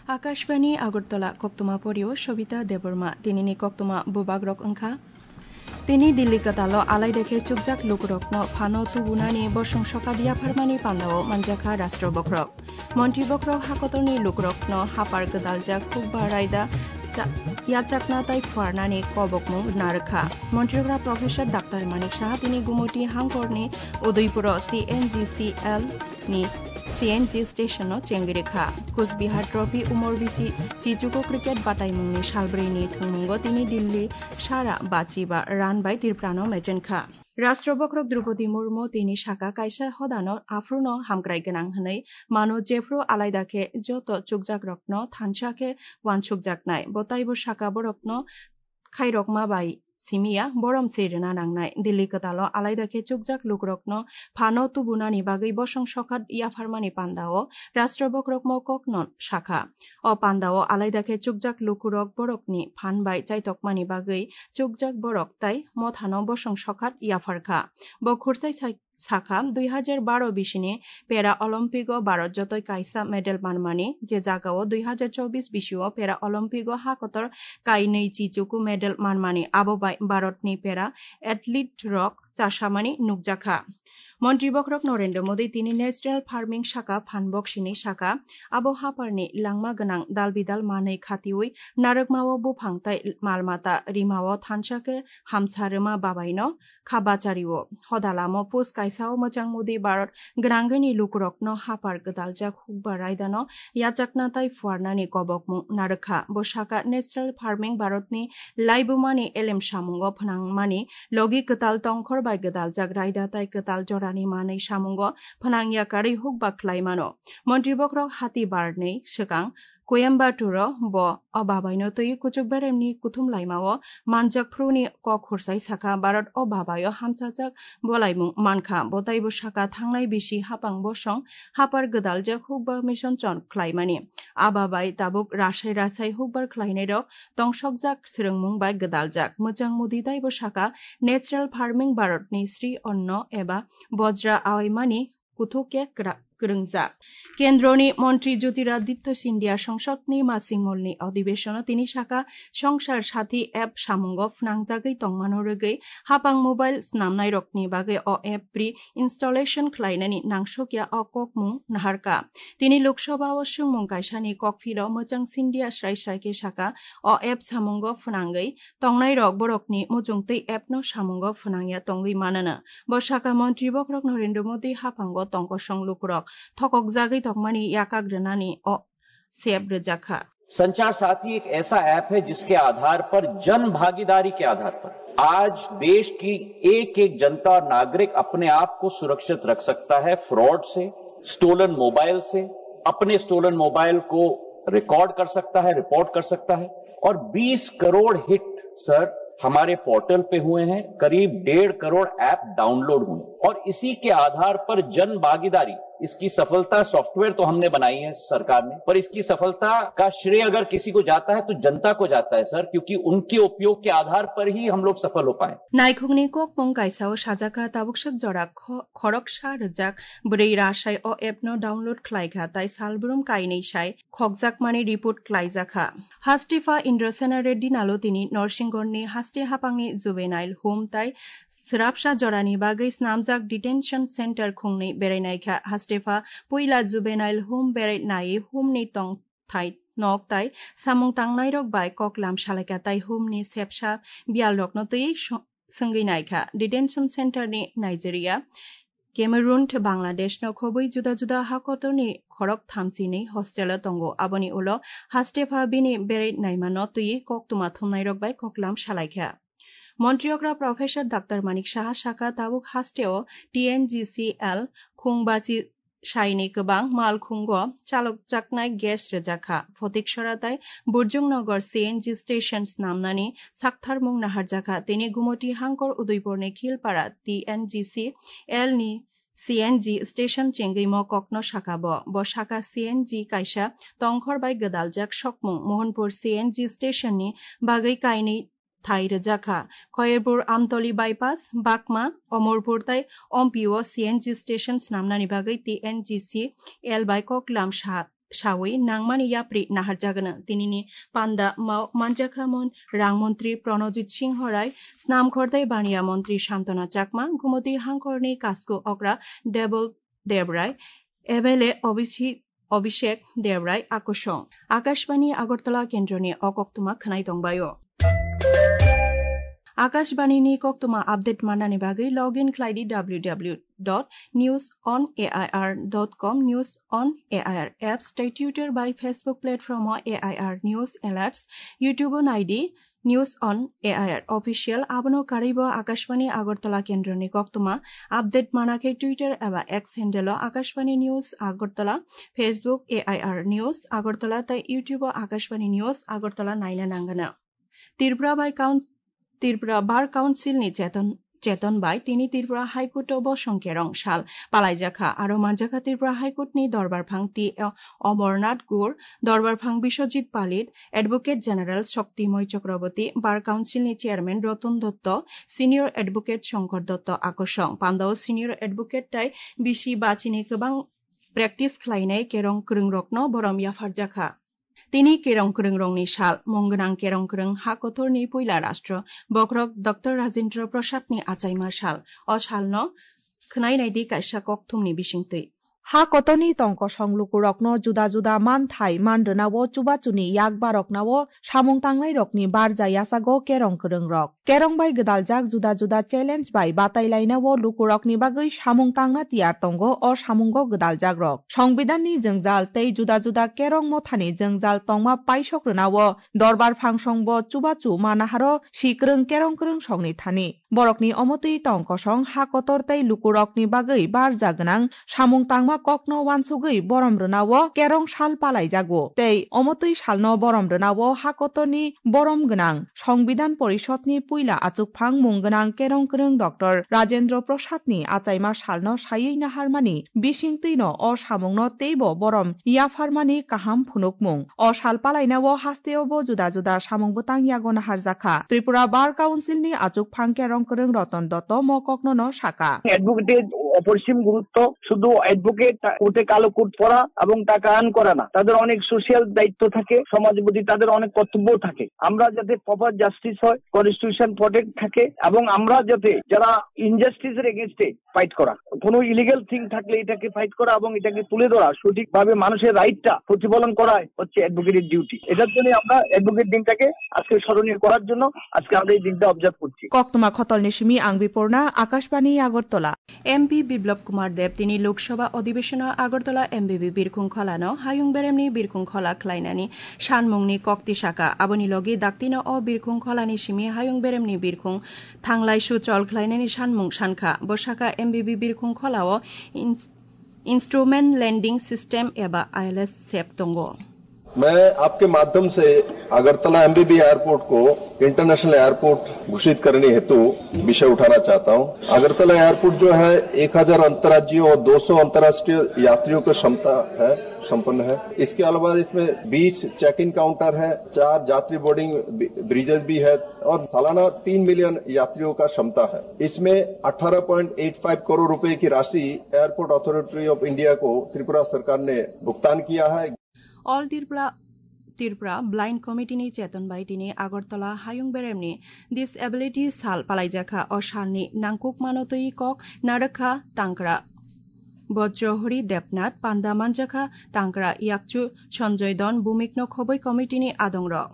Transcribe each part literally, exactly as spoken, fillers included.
Akashbani Agartala, koktwma porio Sobita Debbarma. Tinini koktwma bubagrok wngkha: Tini Delhi kwtalo alaida khe chukjak lukurokno phano tubunani bosong sokat yapharmani pandao manjakha Rashtra Bokhorok. Montri Bokhorok hakotorni lukurokno hapar gwdaljak hukba raida cha-, yachakna tai phuarnani kobokmung narwkha. Montri Bokhorok Professor Doctor Manik Saha tini Gumoti hangkorni Udaipuro T N G C L ni C N G station no chengwi rwkha. Kusbihar Trophy umor bisi chichugo cricket bataimungni salbrwini thwngmungo tini Delhi sara bachiba run bai Tripura no mechenkha. Rashtra Bokhorok Droupadi Murmu tini saka kaisa hodano aphuru no hamkrai gwnang hwnwi mano, jephru alaida khe joto chukjak rokno thansa khe wansukjaknai. Bo taibo saka borokno khairokma bai simiya borom se rwna nangnai. Delhi kwtalo alaida khe chukjak lukurokno phano tubunani bagwi bosong sokat yapharmani pandao Rashtra Bokhorok mo kokno sakha. O pandao alaida khe chukjak lukurok borokni phan bai chaitokmani bagwi chukjak borok tai mothano bosong sokat yapharkha. Bo khursai sai-, sakha, dui hajar baro bisini Para Olympic o Bharat jotoi kaisa medal manmani, je jagao dui hajar chobbish bisio Para Olympic o hakotor kainwi chichuku medal manmani, abo bai Bharatni para athlete rok chasamani nukjakha. Montri Bokhorok Narendra Modi tini natural farming saka phan boksini saka, abo haparni langma gwnang dal bidal manwi khatiwi narwkmao buphang tai malmata rimao thansa khe hamsa rwma babaino kha bachario. Hoda lamo post kaisao mwchang Modi Bharat gwnangwini lukurokno hapar gwdaljak hukba raidano yachakna tai phuarnani kobokmung narwkha. Bo saka natural farming Bharatni laibumani elem samungo phnangmani logi kwtal tongkhor bai gwdaljak raida tai kwtal jorani manwi samungo phnang yakarwi hukba khlai mano. Montri Bokhorok hati barnwi swkang Coimbatore-o bo o babaino twi kuchuk beremni kuthum laimao manjak phuruni kok khursai sakha, Bharat o babaio hamchajak bolaimung mankha. Bo taibo saka thangnai bisi hapang bosong hapar gwdaljak hukba mission chon khlaimani. A babai tabuk rasai rasai hukbar khlainairok tongsokjak swrwngmung bai gwdaljak. Mwchang Modi taibo saka natural farming Bharatni Sri Anna eba Bajra awaimani kuthuk khe kwra-, kwrwngjak. Kendroni Montri Jyotiraditya Scindia Songsodni Masingmolni Adhibeshono tini saka Songsar Sathi app samungo phnangjagwi tongmano rwgwi hapang mobile snamnairokni bagwi o app pre-installation khlainani nangsokya o kokmung naharkha. Tini Lok Sabha o swngmung kaisani kokphilo mwchang Scindia srai srai khe saka o app samungo phnangwi tongnairok borokni muchung tei app no samungo phnangya tongwi manana. Bo saka Montri Bokhorok Narendra Modi haphango tongkosong lukurok thokokjagwi tongmani yakak rwnani o sep rwjakha. संचार साथी एक ऐसा ऐप है जिसके आधार पर, जन भागीदारी के आधार पर आज देश की एक एक जनता और नागरिक अपने आप को सुरक्षित रख सकता है फ्रॉड से, स्टोलन मोबाइल से, अपने स्टोलन मोबाइल को रिकॉर्ड कर सकता है, रिपोर्ट कर सकता है। और बीस करोड़ हिट, सर, हमारे पोर्टल पे हुए हैं, करीब डेढ़ करोड़ ऐप डाउनलोड हुए और इसी के आधार पर जन भागीदारी, इसकी सफलता, सॉफ्टवेयर तो हमने बनाई है सरकार ने, पर इसकी सफलता का श्रेय अगर किसी को जाता है तो जनता को जाता है सर, क्योंकि उनके उपयोग के आधार पर ही हम लोग सफल हो पाए। Naikhungni kokmung kaisao sajaka tabuk suk jora kho-, khoroksa rwjak bwrwi rasai o app no download khlaikha tai salbrum kainwi sai khokjakmani report khlaijakha. Hastepa Indrasena Reddy Nalotini Norsingorni haste haphangni juvenile home tai swrapsa jorani bagwi snamjak detention center khungni berainaikha. Hastepa puila juvenile home berai nai home ni tongthai nok tai samung tangnairok bai koklam salaikha tai home ni sepsa biyalrokno twi so-, swngwi naikha. Detention center ni Nigeria, Cameroon tei Bangladesh no khobwi juda juda hakotorni khorok thamsini hostel o tongo. Aboni ulo haste pha bini berai naimano twiwi koktwma thumnairok bai koklam salaikha. Montri okra Professor Doctor Manik Saha saka tabuk hasteo T N G C L khungbachi saini kwbang malkhungo chalokjaknai gas rwjakha. Photiksora tai Burjungnagar C N G station snamnani saktharmung naharjakha. Tini Gumoti hangkor Udaipurni Khilpara T N G C L ni C N G station chengwi mo kokno saka bo. Bo saka C N G kaisa tongkhor bai gwdaljak sokmung. Mohanpur C N G station ni bagwi kainwi thai rwjakha. Khoyerbur Amtoli bypass, Bakma, Omorpur tai Ompi o C N G station snamnani bagwi T N G C L bai koklam sa sawi nangmani yapri naharjagano. Tinini panda mao manjakha mon rang montri Pranojit Singho Rai, snam khortai baniya montri Santona Chakma, Gumoti hangkorni Kasku Okra Debol Debrai, M L A Obisi-, Abhishek Debrai akosong. Akashbani Agartala kendroni o koktwma khwnai tongbaio. Akashbani ni koktwma update manani bagwi log in khlai di W W W dot news on A I R dot com, News on A I R apps tei Twitter bai Facebook platform o A I R News Alerts, YouTube o nai di News on A I R Official. Abono karwibo Akashbani Agartala kendroni koktwma update mana khe Twitter eba X handle o Akashbani News Agartala, Facebook A I R News Agartala tei YouTube o Akashbani News Agartala naina nangano. Tripura bai Council Tripura Bar Council ni cheton, cheton bai tini Tripura High Court o bosong kerong sal palaijakha. Aro manjakha Tripura High Court ni dorbar phang T Omornath Gur, dorbar phang Biswajit Palit, Advocate General Shaktimoi Chakraborty, Bar Council ni Chairman Ratan Dutta, Senior Advocate Shankar Dutta akosong. Pandao Senior Advocate tai bisi bachini kwbang practice khlainai kerong kwrwngrokno borom yapharjakha. Tini kerong kwrwngrokni sal, mung gwnang kerong kwrwng ha kotorni puila rastro bokhorok Doctor Rajendra Prasadni achaima sal. O salno khwnai naidi kaisa kokthumni bisingtwi. Ha kotorni tongkosong lukurokno juda juda manthai man rwnao chubachuni yak baroknao samung tangnairokni barja yachago kerong kwrwngrok. Kerong bai gwdaljak juda juda challenge bai batai lainao lukurokni bagwi samung tangna tiyar tongo o samungo gwdaljakrok. Songbidanni jwngjal tei juda juda kerong mothani jwngjal tongma paisok rwnao dorbar phangsongbo chubachu manaharo si kwrwng kerong kwrwng songni thani. Borokni omotwi tong kosong ha kotor tei lukurokni bagwi barja gwnang samung tangma kokno wansugwi borom rwnao kerong sal palaijago tei omotwi salno borom rwnao ha kotorni borom gwnang Songbidan Porishodni puila achukphang mung gwnang kerong kwrwng Doctor Rajendra Prasadni achaima salno saywi naharmani bisingtwino o samungno teibo borom yapharmani kaham phunukmung. O sal palainao hasteobo juda juda samung bwtang yago naharjakha. Tripura Bar Councilni achukphang kerong kwrwng Ratan Dotto mo koknono saka. অ্যাডভোকেটের অপরিসীম গুরুত্ব। শুধু অ্যাডভোকেট তা-, কোর্টে কালো কোট পরা এবং টাকা আর্ন করা না, তাদের অনেক সোশ্যাল দায়িত্ব থাকে, সমাজের প্রতি তাদের অনেক কর্তব্য থাকে। আমরা যাতে প্রপার জাস্টিস হয়, কনস্টিটিউশন প্রোটেক্ট থাকে এবং আমরা যাতে যারা ইনজাস্টিসের এগেইনস্টে ফাইট করা, কোনো ইলিগ্যাল থিং থাকলে এটাকে ফাইট করা এবং এটাকে তুলে ধরা, সঠিকভাবে মানুষের রাইটটা প্রতিফলন করাই হচ্ছে অ্যাডভোকেটের ডিউটি। এটার জন্য আমরা অ্যাডভোকেট দিনটাকে আজকে স্মরণীয় করার জন্য আজকে আমরা এই দিনটা অবজার্ভ করছি। Koktwma khotolni simi ang Biporna, Akashbani Agartala. M P Biplab Kumar Deb tini Lok Sabha Adhibeshon o Agartala M B B birkhung kholano hayung beremni birkhung khola khlainani sanmungni kok tisaka. Aboni logi daktino o birkhung kholani simi hayung beremni birkhung thanglai suchol khlainani sanmung sankha. Bo saka M B B birkhung kholao ins-, Instrument Landing System eba I L S sep tongo. मैं आपके माध्यम से Agartala MBB airport को international airport घोषित करने हेतु विषय उठाना चाहता हूं। अगरतला एयरपोर्ट जो है, एक हज़ार अंतर्राज्यीय और दो सौ अंतर्राष्ट्रीय यात्रियों की क्षमता है, संपन्न है। इसके अलावा इसमें बीस चेक इन काउंटर है, चार यात्री बोर्डिंग ब्रि-, ब्रिजेस भी है और सालाना तीन मिलियन यात्रियों का क्षमता है। इसमें अठारह पॉइंट एट फ़ाइव करोड़ रुपए की राशि एयरपोर्ट अथॉरिटी ऑफ इंडिया को त्रिपुरा सरकार ने भुगतान किया है। All Tripura, Tripura Blind Committee ni cheton bai tini Agartala hayung beremni disability sal palaijakha. O salni nangkukmano twi kok narwkha tangkra Bojrohori Debnath, panda manjakha tangkra yakchu Sanjoy Don, bumikno khoboi committee ni adongrok.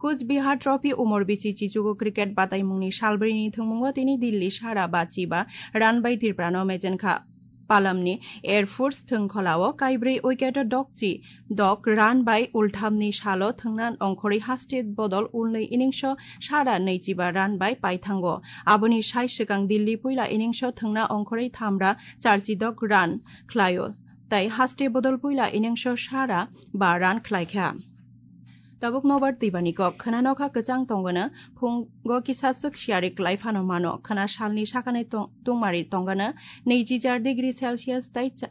Cooch Behar Trophy umor bisi chichugo cricket bataimungni salbrini thwngmungo tini Delhi sara ba chiba run bai Tripura no mejenkha. Palamni Air Force thwngkholao kaibrwi wicket o dokchi dok run bai ulthamni salo thwngna ongkhorwi haste bodol ulnwi innings o sara nwichiba run bai paithango. Aboni sai swkang Delhi puila innings o thwngna ongkhorwi thamra charchi dok run khlaio. Tai haste bodol puila innings o sara ba run khlaikha. Tabuk nobar twibani kok khwna nokha kwchang tongwano phungo kisa swk siyari kwlai phano mano. Khwna salni sakani tong-, tungmari tongwano nwichi char degree Celsius tai cha-,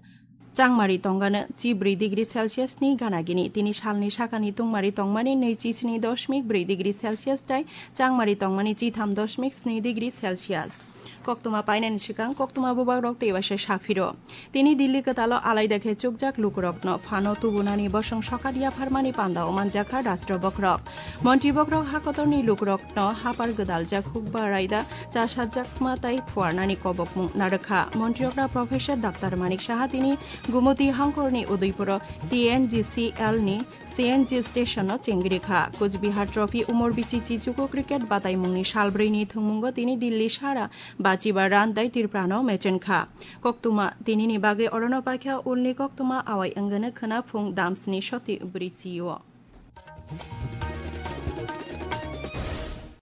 changmari tongwano chi bwrwi degree Celsius ni gana gini. Tini salni sakani tungmari tongmani nwichi sni doshmik bwrwi degree Celsius tai changmari tongmani chi tham doshmik sni degree Celsius. Koktwma painani swkang koktwma bubagrok teibaisa saphiro. Tini Dilli kwtalo alaida khe chukjak lukurokno phano tubunani bosong sokat yapharmani pandao manjakha rashtra bokhorok. Montri bokhorok hakotorni lukurokno hapar gwdaljak hukba raida chasatjakma tai phuarnani kobokmung narwkha. Montri okra Professor Doctor Manik Saha tini Gumuti hangkorni Udaipuro T N G C L ni C N G station no chengrikha. Kuch Bihar Trophy Umor Bichi Chichuku cricket bataimungni salbrwini thwngmungo tini Dilli sara bachiba run dai Tripura no mechenkha. Koktwma tinini bagwi orono paikha ulni koktwma awai wngwno khwna phung damsni soti bwrwi chio.